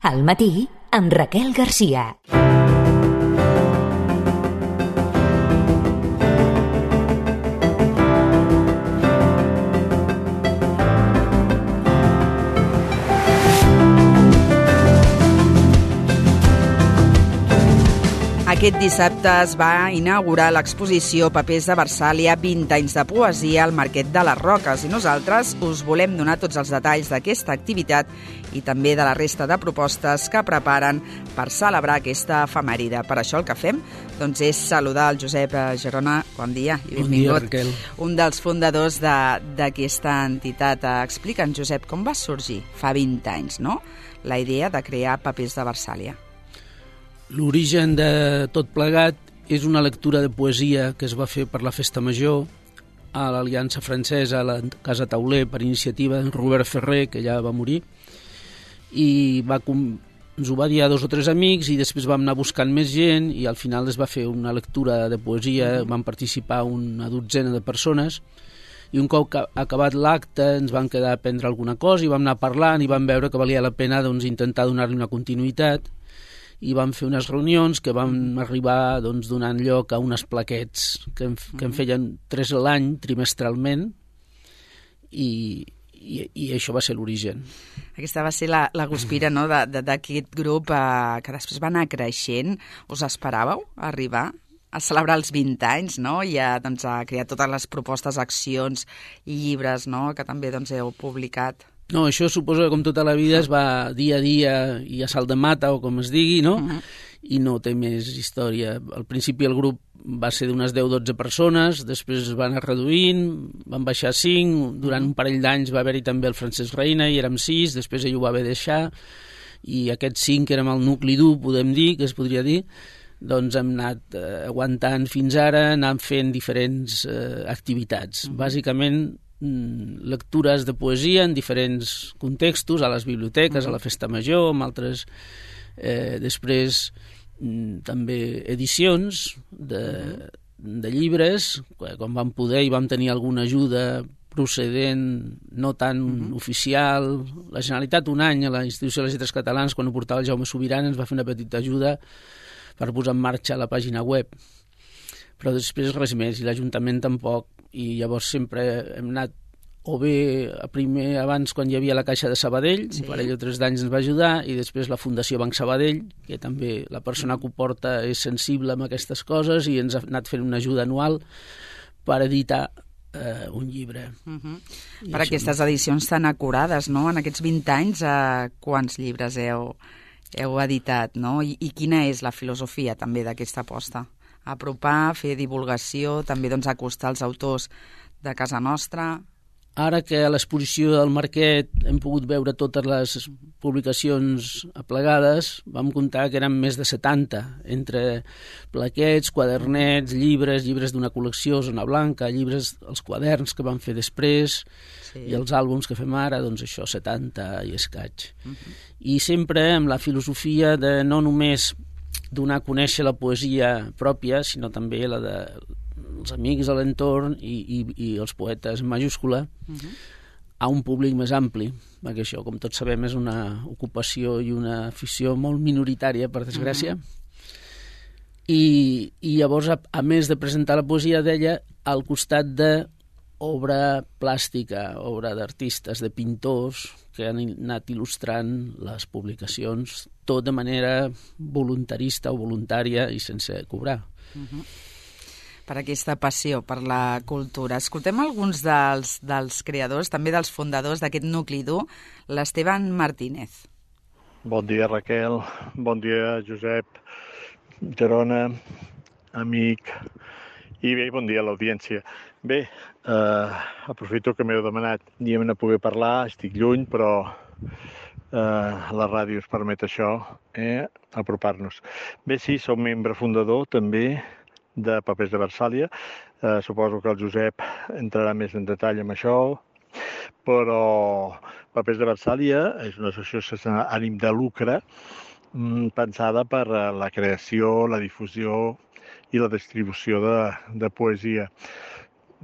Al matí, amb Raquel Garcia. Aquest dissabte es va inaugurar l'exposició Papers de Versàlia 20 anys de poesia al Marquet de les Roques i nosaltres us volem donar tots els detalls d'aquesta activitat i també de la resta de propostes que preparen per celebrar aquesta efemèride. Per això el que fem és saludar el Josep Gerona. Bon dia i benvingut. Bon dia, Raquel. Un dels fundadors d'aquesta entitat. Explica'ns, Josep, com va sorgir fa 20 anys, no?, la idea de crear Papers de Versàlia. L'origen de tot plegat és una lectura de poesia que es va fer per la Festa Major a l'Aliança Francesa, a la Casa Tauler, per iniciativa d'en Robert Ferrer, que ja va morir, i ens ho va dir a 2 o 3 amics i després vam anar buscant més gent i al final es va fer una lectura de poesia, van participar una dotzena de persones i un cop acabat l'acte ens van quedar a prendre alguna cosa i vam anar parlant i vam veure que valia la pena intentar donar-li una continuïtat i vam fer unes reunions que vam arribar donant lloc a unes plaquets que en feien 3 a l'any, trimestralment, i això va ser l'origen. Aquesta va ser la guspira, no?, d'aquest grup que després va anar creixent. Us esperàveu arribar a celebrar els 20 anys, no?, i a crear totes les propostes, accions i llibres, no?, que també heu publicat? No, això suposo que com tota la vida es va dia a dia i a salt de mata o com es digui, no? I no té més història. Al principi el grup va ser d'unes 10-12 persones, després es va anar reduint, van baixar 5, durant un parell d'anys va haver-hi també el Francesc Reina i érem 6, després ell ho va haver de deixar i aquests 5 que érem el nucli dur, podem dir, que es podria dir, hem anat aguantant fins ara, anant fent diferents activitats. Bàsicament lectures de poesia en diferents contextos, a les biblioteques, a la Festa Major, amb altres, després també edicions de llibres, quan vam poder i vam tenir alguna ajuda procedent no tan oficial. La Generalitat un any a la Institució de les Lletres Catalanes, quan ho portava el Jaume Subirana, ens va fer una petita ajuda per posar en marxa la pàgina web, però després res més, i l'Ajuntament tampoc, i llavors sempre hem anat o bé primer abans quan hi havia la Caixa de Sabadell, un parell o 3 d'anys ens va ajudar, i després la Fundació Banc Sabadell, que també la persona que ho porta és sensible amb aquestes coses i ens ha anat fent una ajuda anual per editar un llibre. Per aquestes edicions tan acurades, no?, en aquests 20 anys, quants llibres heu editat, no?, i quina és la filosofia també d'aquesta aposta? Apropar, fer divulgació, també acostar els autors de casa nostra. Ara que a l'exposició del Marquet hem pogut veure totes les publicacions aplegades, vam comptar que eren més de 70, entre plaquets, quadernets, llibres d'una col·lecció, Zona Blanca, llibres, els quaderns que vam fer després, i els àlbums que fem ara, això, 70 i escaig. I sempre amb la filosofia de no només donar a conèixer la poesia pròpia, sinó també la dels amics de l'entorn i els poetes en majúscula a un públic més ampli, perquè això, com tots sabem, és una ocupació i una afició molt minoritària, per desgràcia. I llavors, a més de presentar la poesia, deia, al costat d'obra plàstica, obra d'artistes, de pintors, que han anat il·lustrant les publicacions, tot de manera voluntarista o voluntària i sense cobrar. Per aquesta passió per la cultura. Escoltem alguns dels creadors, també dels fundadors d'aquest nucli dur, l'Esteban Martínez. Bon dia, Raquel. Bon dia, Josep, Gerona, amic, i bé, bon dia a l'audiència. Bé, aprofito que m'heu demanat diem a poder parlar, estic lluny, però la ràdio ens permet això, apropar-nos. Bé, sí, som membre fundador també de Papers de Versàlia. Suposo que el Josep entrarà més en detall amb això, però Papers de Versàlia és una associació sense ànim de lucre pensada per la creació, la difusió i la distribució de poesia.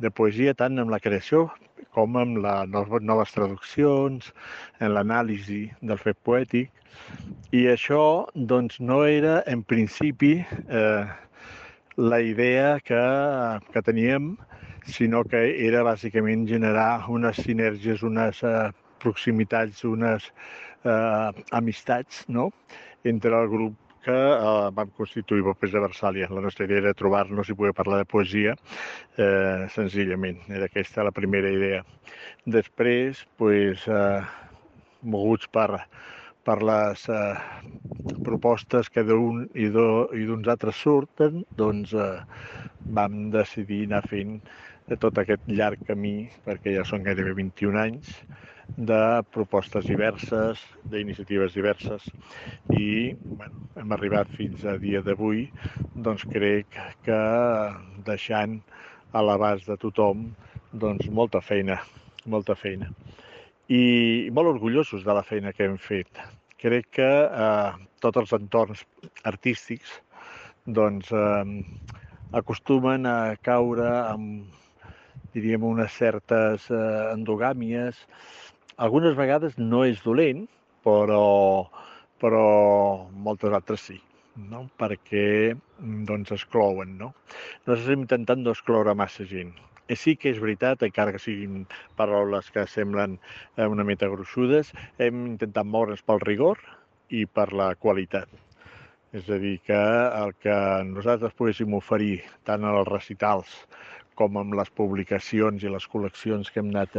De poesia tant en la creació com amb les noves traduccions, en l'anàlisi del fet poètic. I això doncs, no era, en principi, la idea que teníem, sinó que era bàsicament generar unes sinergies, unes proximitats, unes amistats, no?, entre el grup que vam constituir Papers de Versàlia. La nostra idea era trobar-nos i poder parlar de poesia, senzillament. Era aquesta la primera idea. Després, moguts per les propostes que d'un i d'uns altres surten, doncs vam decidir anar fent tot aquest llarg camí, perquè ja són gairebé 21 anys, de propostes diverses, d'iniciatives diverses, i hem arribat fins a dia d'avui, doncs crec que deixant a l'abast de tothom doncs molta feina. I molt orgullosos de la feina que hem fet. Crec que tots els entorns artístics doncs, acostumen a caure amb, diríem, unes certes endogàmies. Algunes vegades no és dolent, però moltes altres sí, no? Perquè doncs, exclouen. No? Nosaltres estem intentant no excloure massa gent. Sí que és veritat, encara que siguin paraules que semblen una mica gruixudes, hem intentat moure'ns pel rigor i per la qualitat. És a dir, que el que nosaltres poguéssim oferir tant als recitals com amb les publicacions i les col·leccions que hem anat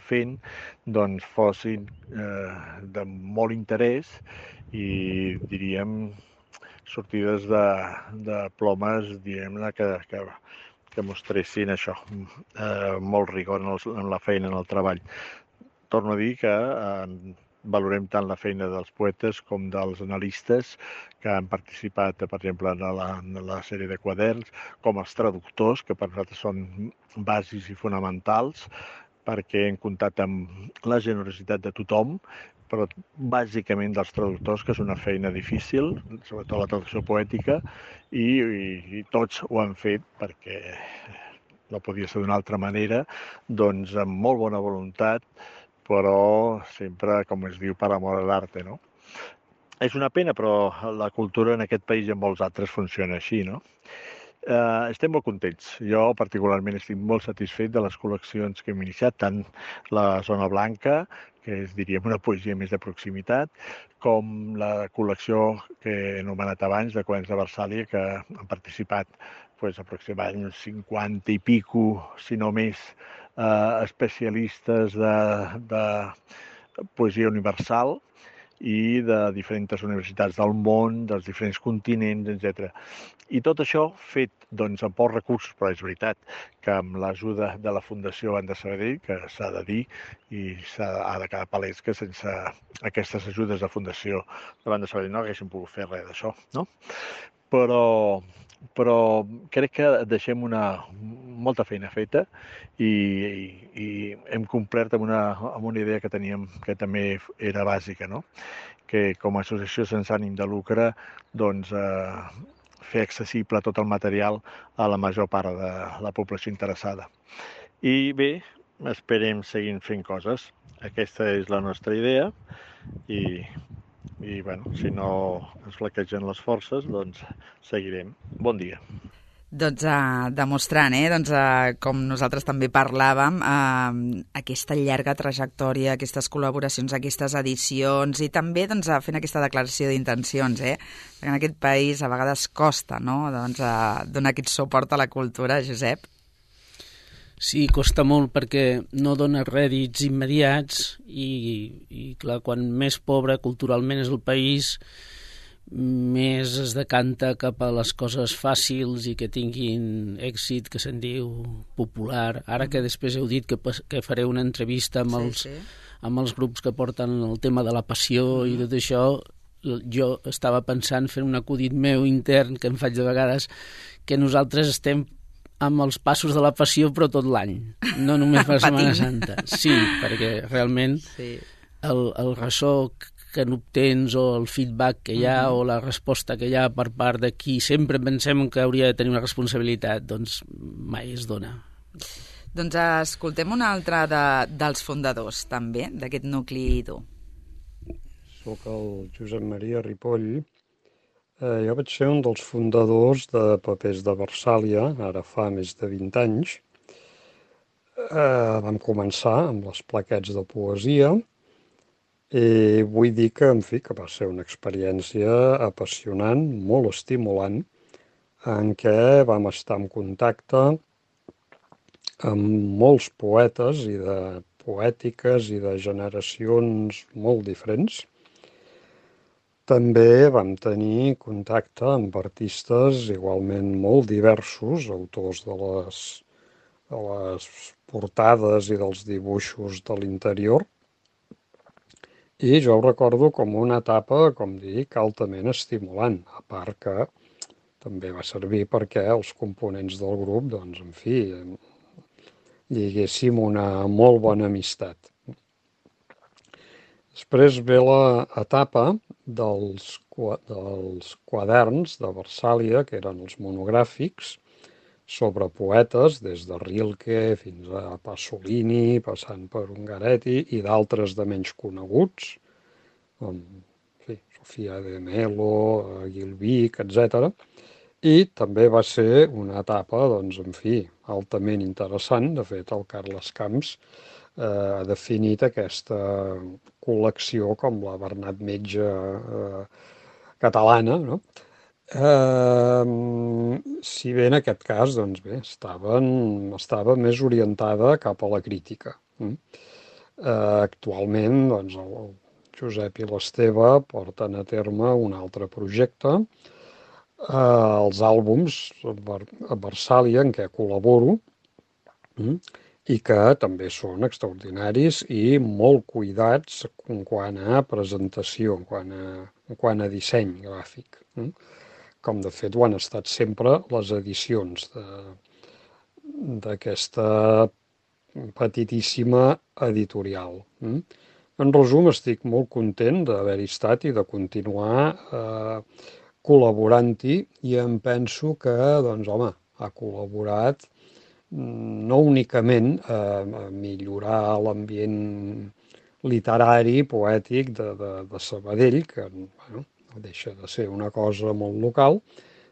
fent, doncs fossin de molt interès i, diríem, sortides de plomes, diguem-ne, que mostressin això, molt rigor en la feina, en el treball. Torno a dir que valorem tant la feina dels poetes com dels analistes que han participat, per exemple, en la sèrie de quaderns, com els traductors, que per nosaltres són bàsics i fonamentals, perquè hem comptat amb la generositat de tothom, però bàsicament dels traductors, que és una feina difícil, sobretot la traducció poètica, i tots ho han fet perquè no podia ser d'una altra manera, doncs amb molt bona voluntat, però sempre, com es diu, per amor a l'arte, no? És una pena, però la cultura en aquest país i en molts altres funciona així, no? Estem molt contents. Jo particularment estic molt satisfet de les col·leccions que hem iniciat, tant la Zona Blanca, que és, diríem, una poesia més de proximitat, com la col·lecció que he anomenat abans, de Quaderns de Versàlia, que han participat aproximadament 50 i pico, si no més, especialistes de poesia universal i de diferents universitats del món, dels diferents continents, etc. I tot això fet doncs, amb pocs recursos, però és veritat que amb l'ajuda de la Fundació Banda Sabadell, que s'ha de dir, i ha de quedar palès que sense aquestes ajudes de Fundació de Banda Sabadell no haguéssim pogut fer res d'això, no? Però crec que deixem molta feina feta i hem complert amb una idea que teníem que també era bàsica, no? Que com a associació sense ànim de lucre doncs, fer accessible tot el material a la major part de la població interessada. I bé, esperem seguir fent coses. Aquesta és la nostra idea i bueno, si no ens flaquegen les forces, doncs seguirem. Bon dia. Doncs demostrant, com nosaltres també parlàvem, aquesta llarga trajectòria, aquestes col·laboracions, aquestes edicions i també fent aquesta declaració d'intencions, que en aquest país a vegades costa, no?, donar aquest suport a la cultura, Josep. Sí, costa molt perquè no dona rèdits immediats i clar, quan més pobre culturalment és el país, més es decanta cap a les coses fàcils i que tinguin èxit, que se'n diu popular. Ara que després heu dit que fareu una entrevista amb els grups que porten el tema de la passió i tot això, jo estava pensant, fent un acudit meu intern que em faig de vegades, que nosaltres estem amb els passos de la passió però tot l'any, no només per Setmana Santa. Sí, perquè realment el ressò que n'obtens o el feedback que hi ha o la resposta que hi ha per part de qui sempre pensem que hauria de tenir una responsabilitat, doncs mai es dona. Doncs escoltem un altre dels fundadors, també, d'aquest nucli dur. Soc el Josep Maria Ripoll. Jo vaig ser un dels fundadors de Papers de Versàlia, ara fa més de 20 anys. Vam començar amb les plaquets de poesia i vull dir que, en fi, que va ser una experiència apassionant, molt estimulant, en què vam estar en contacte amb molts poetes i de poètiques i de generacions molt diferents. També vam tenir contacte amb artistes igualment molt diversos, autors de les portades i dels dibuixos de l'interior. I jo ho recordo com una etapa, com dic, altament estimulant, a part que també va servir perquè els components del grup, doncs, en fi, lliguéssim una molt bona amistat. Després ve l'etapa dels quaderns de Versàlia, que eren els monogràfics, sobre poetes, des de Rilke fins a Pasolini, passant per Ungaretti i d'altres de menys coneguts, com Sofia de Melo, Gilvic, etc. I també va ser una etapa, doncs, en fi, altament interessant. De fet, el Carles Camps ha definit aquesta col·lecció com la Bernat Metge catalana, no? Si bé en aquest cas, doncs bé, estava més orientada cap a la crítica. Actualment, doncs, el Josep i l'Esteve porten a terme un altre projecte, els àlbums a Versàlia, en què col·laboro, i que també són extraordinaris i molt cuidats en quant a presentació, en quant a disseny gràfic, com de fet ho han estat sempre les edicions d'aquesta petitíssima editorial. En resum, estic molt content d'haver-hi estat i de continuar col·laborant-hi, i em penso que, doncs, home, ha col·laborat no únicament a millorar l'ambient literari, poètic de Sabadell, que no deixa de ser una cosa molt local,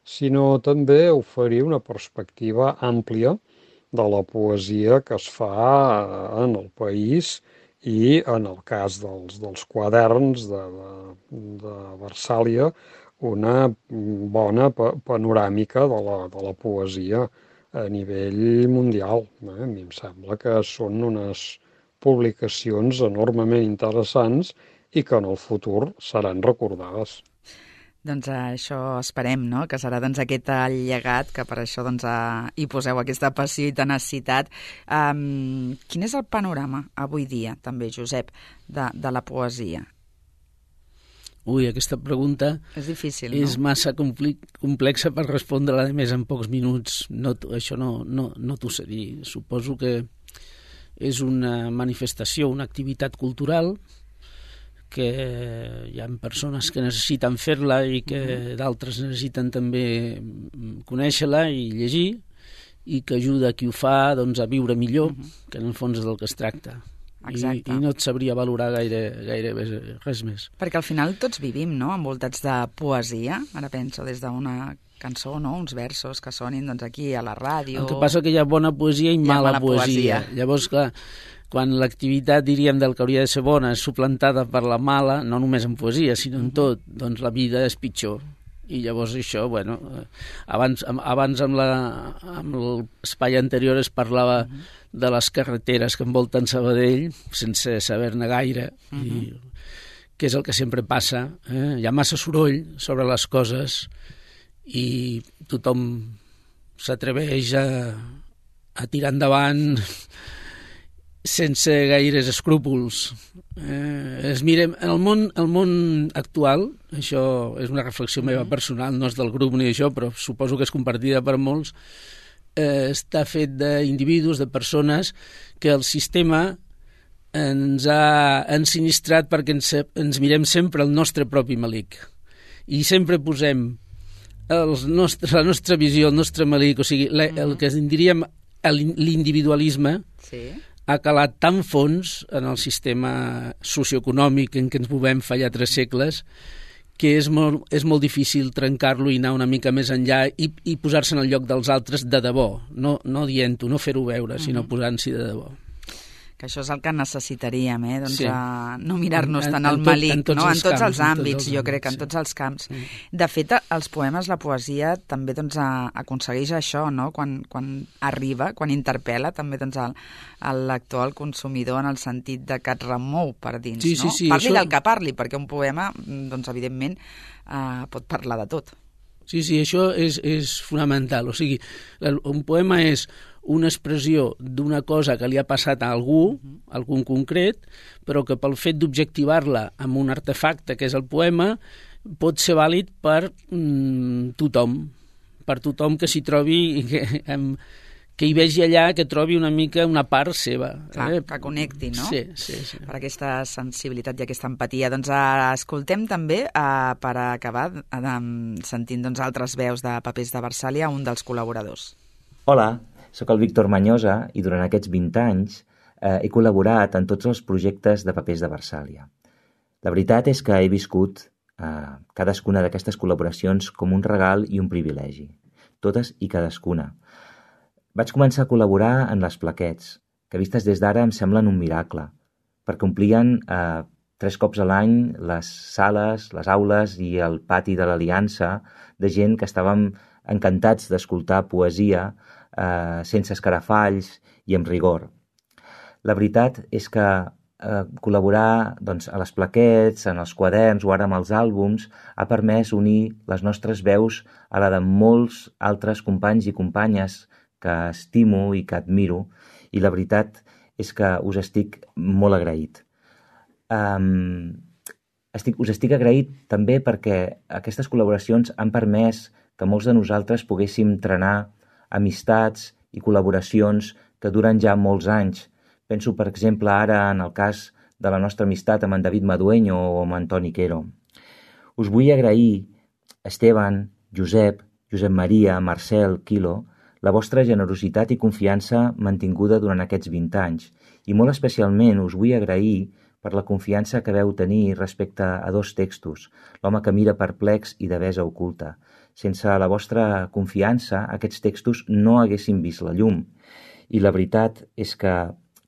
sinó també oferir una perspectiva àmplia de la poesia que es fa en el país i, en el cas dels quaderns de Versàlia, una bona panoràmica de la poesia a nivell mundial. A mi em sembla que són unes publicacions enormement interessants i que en el futur seran recordades. Doncs això esperem, no?, que serà aquest llegat, que per això hi poseu aquesta passió i tenacitat. Quin és el panorama avui dia, també, Josep, de la poesia? Ui, aquesta pregunta és difícil, no? És massa complexa per respondre-la, a més, en pocs minuts. Això no t'ho sé dir. Suposo que és una manifestació, una activitat cultural, que hi ha persones que necessiten fer-la i que d'altres necessiten també conèixer-la i llegir, i que ajuda a qui ho fa, doncs, a viure millor, que en el fons és del que es tracta. I no et sabria valorar gaire res més. Perquè al final tots vivim, no?, envoltats de poesia. Ara penso des d'una cançó, no?, uns versos que sonin aquí a la ràdio. El que passa que hi ha bona poesia i mala poesia. Llavors, clar, quan l'activitat, diríem, del que hauria de ser bona és suplantada per la mala, no només en poesia, sinó en tot, doncs la vida és pitjor. I llavors això, bueno, abans amb l'espai anterior es parlava de les carreteres que envolten Sabadell, sense saber-ne gaire, i que és el que sempre passa. Hi ha massa soroll sobre les coses i tothom s'atreveix a tirar endavant sense gaires escrúpols. Mirem, en el món actual, això és una reflexió meva personal, no és del grup ni això, però suposo que és compartida per molts, està fet d'individus, de persones que el sistema ens ha ensinistrat perquè ens mirem sempre el nostre propi melic. I sempre posem la nostra visió, el nostre melic, o sigui, el que en diríem l'individualisme Sí. ha calat tan fons en el sistema socioeconòmic en què ens movem fa ja 3 segles que és molt difícil trencar-lo i anar una mica més enllà i posar-se en el lloc dels altres de debò, no dient-ho, no fer-ho veure, sinó posant-s'hi de debò. Que això és el que necessitaríem, doncs, Sí. No mirar-nos tant al en malic, tots no? En tots els camps, àmbits, jo crec, en sí. tots els camps. Sí. De fet, els poemes, la poesia, també doncs, aconsegueix això, no? Quan arriba, quan interpel·la també doncs, el lector, el consumidor, en el sentit de que et remou per dins, Sí, no? sí, Parli això... del que parli, perquè un poema, doncs, evidentment, pot parlar de tot. Sí, això és fonamental. O sigui, un poema és una expressió d'una cosa que li ha passat a algú concret, però que pel fet d'objectivar-la amb un artefacte que és el poema pot ser vàlid per tothom que s'hi trobi, que hi vegi allà, que trobi una mica una part seva. Clar, que connecti, no? Sí. Per aquesta sensibilitat i aquesta empatia. Doncs escoltem també, per acabar, sentint doncs, altres veus de Papers de Versàlia, un dels col·laboradors. Hola, sóc el Víctor Manyosa i durant aquests 20 anys he col·laborat en tots els projectes de Papers de Versàlia. La veritat és que he viscut cadascuna d'aquestes col·laboracions com un regal i un privilegi, totes i cadascuna. Vaig començar a col·laborar en les plaquets, que vistes des d'ara em semblen un miracle, perquè omplien 3 cops a l'any les sales, les aules i el pati de l'Aliança de gent que estàvem encantats d'escoltar poesia sense escarafalls i amb rigor. La veritat és que col·laborar doncs, a les plaquets, en els quaderns o ara amb els àlbums ha permès unir les nostres veus a la de molts altres companys i companyes que estimo i que admiro, i la veritat és que us estic molt agraït. Us estic agraït també perquè aquestes col·laboracions han permès que molts de nosaltres poguéssim trenar amistats i col·laboracions que duren ja molts anys. Penso, per exemple, ara en el cas de la nostra amistat amb en David Madueño o amb Antoni Quero. Us vull agrair, Esteban, Josep Maria, Marcel, Quilo, la vostra generositat i confiança mantinguda durant aquests 20 anys, i molt especialment us vull agrair per la confiança que veu tenir respecte a 2 textos, L'home que mira perplex i Devesa oculta. Sense la vostra confiança, aquests textos no haguessin vist la llum. I la veritat és que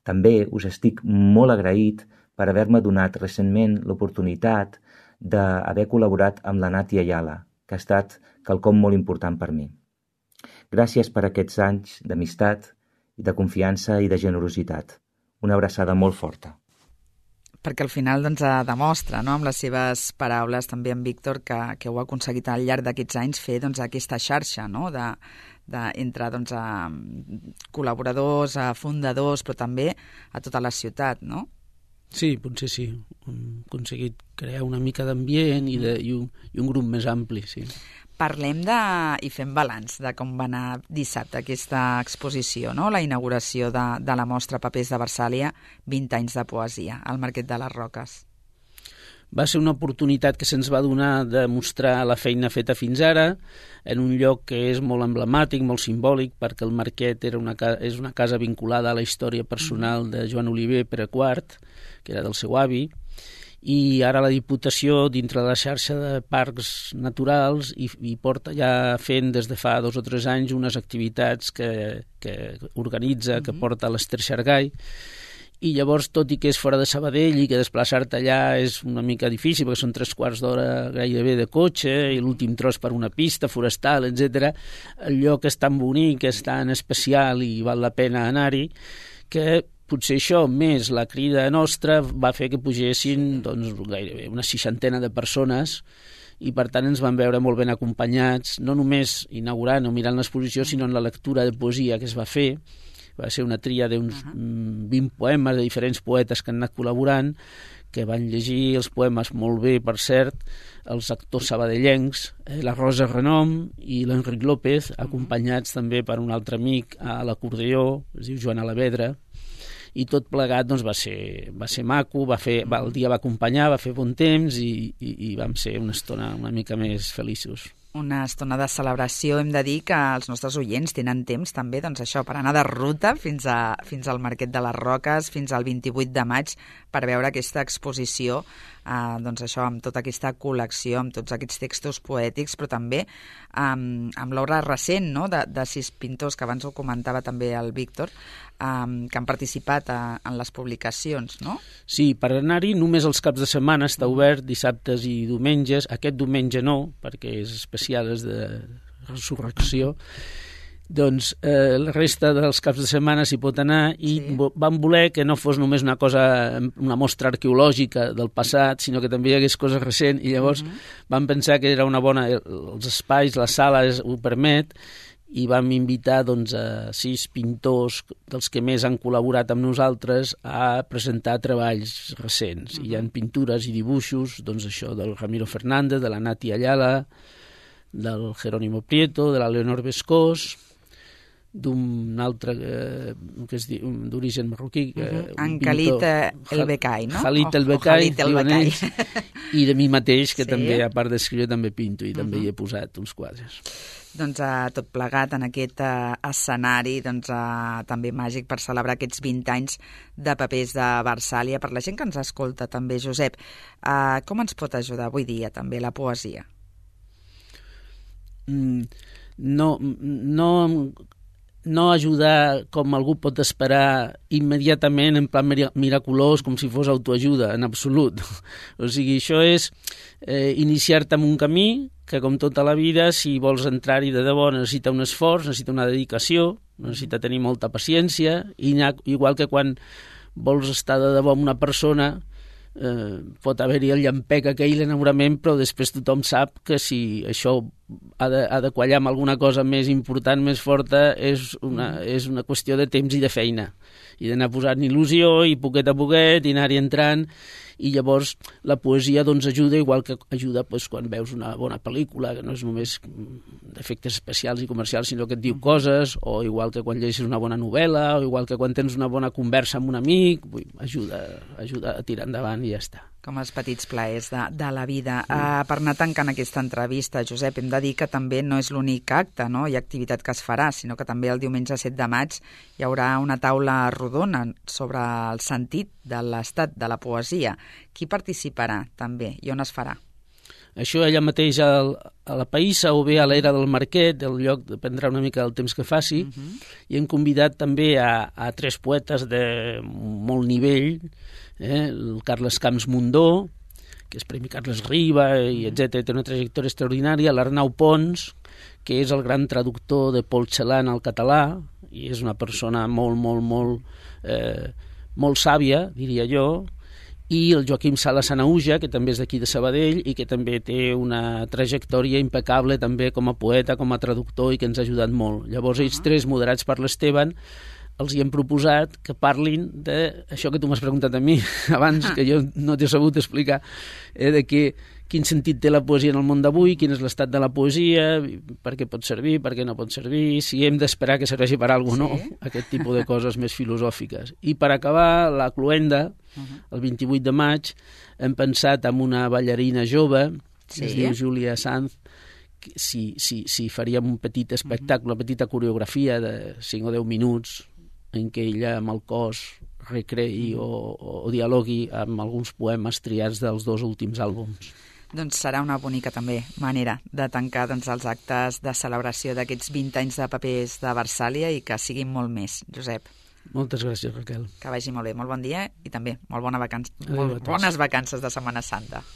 també us estic molt agraït per haver-me donat recentment l'oportunitat d'haver col·laborat amb la Nati Ayala, que ha estat quelcom molt important per mi. Gràcies per aquests anys d'amistat, de confiança i de generositat. Una abraçada molt forta. Perquè al final doncs, demostra, no?, amb les seves paraules també en Víctor, que ho ha aconseguit al llarg d'aquests anys fer doncs, aquesta xarxa, no?, entre doncs, col·laboradors, fundadors, però també a tota la ciutat, no? Sí, potser sí. Hem aconseguit crear una mica d'ambient i un grup més ampli, sí. Parlem i fem balanç de com va anar dissabte aquesta exposició, no?, la inauguració de la mostra Papers de Versàlia, 20 anys de poesia, al Marquet de les Roques. Va ser una oportunitat que se'ns va donar de mostrar la feina feta fins ara en un lloc que és molt emblemàtic, molt simbòlic, perquè el Marquet és una casa vinculada a la història personal de Joan Oliver Pere IV, que era del seu avi, i ara la Diputació, dintre de la xarxa de parcs naturals, hi porta ja fent des de fa 2 o 3 anys unes activitats que organitza, que porta a l'Ester Xargai, i llavors, tot i que és fora de Sabadell i que desplaçar-te allà és una mica difícil, perquè són 3/4 d'hora gairebé de cotxe i l'últim tros per una pista forestal, etc., el lloc és tan bonic, és tan especial i val la pena anar-hi, que potser això, més la crida nostra, va fer que pugessin doncs, gairebé una 60 de persones, i per tant ens van veure molt ben acompanyats, no només inaugurant o mirant l'exposició, sinó en la lectura de poesia que es va fer. Va ser una tria d'uns 20 poemes de diferents poetes que han anat col·laborant, que van llegir els poemes molt bé, per cert, els actors sabadellencs, la Rosa Renom i l'Enric López, acompanyats també per un altre amic a l'acordeó, es diu Joan Alavedra, i tot plegat doncs, va ser maco, el dia va acompanyar, va fer bon temps i vam ser una estona una mica més feliços. una estona de celebració. Hem de dir que els nostres oients tenen temps també, doncs això, per anar de ruta fins al Marquet de les Roques, fins al 28 de maig, per veure aquesta exposició, doncs això, amb tota aquesta col·lecció, amb tots aquests textos poètics, però també amb l'obra recent, no?, de 6 pintors, que abans ho comentava també el Víctor, que han participat en les publicacions, no? Sí, per anar-hi només els caps de setmana està obert, dissabtes i diumenges. Aquest diumenge no, perquè és especial, és de resurrecció. Doncs la resta dels caps de setmana s'hi pot anar i vam voler que no fos només una mostra arqueològica del passat, sinó que també hi hagués coses recents, i llavors vam pensar que era una bona... Els espais, la sala ho permet, i vam invitar doncs, a 6 pintors dels que més han col·laborat amb nosaltres a presentar treballs recents. Hi ha pintures i dibuixos, doncs això, del Ramiro Fernández, de la Nati Ayala, del Jerónimo Prieto, de la Leonor Bescós, d'un altre que es diu d'origen marroquí, en Khalid El Bekai, no? Khalid El Bekai, i de mi mateix, que també, a part d'escriure, també pinto i també hi he posat uns quadres. Doncs tot plegat en aquest escenari també màgic per celebrar aquests 20 anys de Papers de Versàlia. Per la gent que ens escolta també, Josep, com ens pot ajudar avui dia també la poesia? No ajudar com algú pot esperar immediatament en plan miraculós, com si fos autoajuda, en absolut. O sigui, això és iniciar-te en un camí que, com tota la vida, si vols entrar-hi de debò, necessita un esforç, necessita una dedicació, necessita tenir molta paciència, i igual que quan vols estar de debò amb una persona, pot haver-hi el llampec aquell, l'enamorament, però després tothom sap que si això ha de quallar amb alguna cosa més important, més forta, és una qüestió de temps i de feina, i d'anar posant il·lusió i poquet a poquet i anar-hi entrant. I llavors la poesia doncs ajuda, igual que ajuda quan veus una bona pel·lícula, que no és només d'efectes especials i comercials, sinó que et diu coses, o igual que quan llegeixes una bona novel·la, o igual que quan tens una bona conversa amb un amic, ajuda a tirar endavant i ja està. Com els petits plaers de la vida. Per anar tancant aquesta entrevista, Josep, hem de dir que també no és l'únic acte, no?, i activitat que es farà, sinó que també el diumenge 7 de maig hi haurà una taula rodona sobre el sentit de l'estat de la poesia. Qui participarà també i on es farà? Això allà mateix a la Païssa o bé a l'era del Marquet, el lloc dependrà una mica del temps que faci, i hem convidat també a 3 poetes de molt nivell, el Carles Camps Mundó, que és Premi Carles Riba, i etc., té una trajectòria extraordinària, l'Arnau Pons, que és el gran traductor de Paul Celan al català, i és una persona molt sàvia, diria jo, i el Joaquim Sala Sanauja, que també és d'aquí de Sabadell i que també té una trajectòria impecable també com a poeta, com a traductor, i que ens ha ajudat molt. Llavors ells 3, moderats per l'Esteban, els hi hem proposat que parlin d'això que tu m'has preguntat a mi abans, que jo no t'he sabut explicar, de quin sentit té la poesia en el món d'avui, quin és l'estat de la poesia, per què pot servir, per què no pot servir, si hem d'esperar que serveixi per alguna cosa o no, aquest tipus de coses més filosòfiques. I per acabar, la cloenda, el 28 de maig, hem pensat en una ballarina jove, que es diu Júlia Sanz, si faríem un petit espectacle, una petita coreografia de 5 o 10 minuts, en què ella amb el cos recreï o dialogui amb alguns poemes triats dels 2 últims àlbums. Doncs serà una bonica també manera de tancar els actes de celebració d'aquests 20 anys de Papers de Versàlia i que siguin molt més, Josep. Moltes gràcies, Raquel. Que vagi molt bé, molt bon dia i també molt bones vacances de Setmana Santa.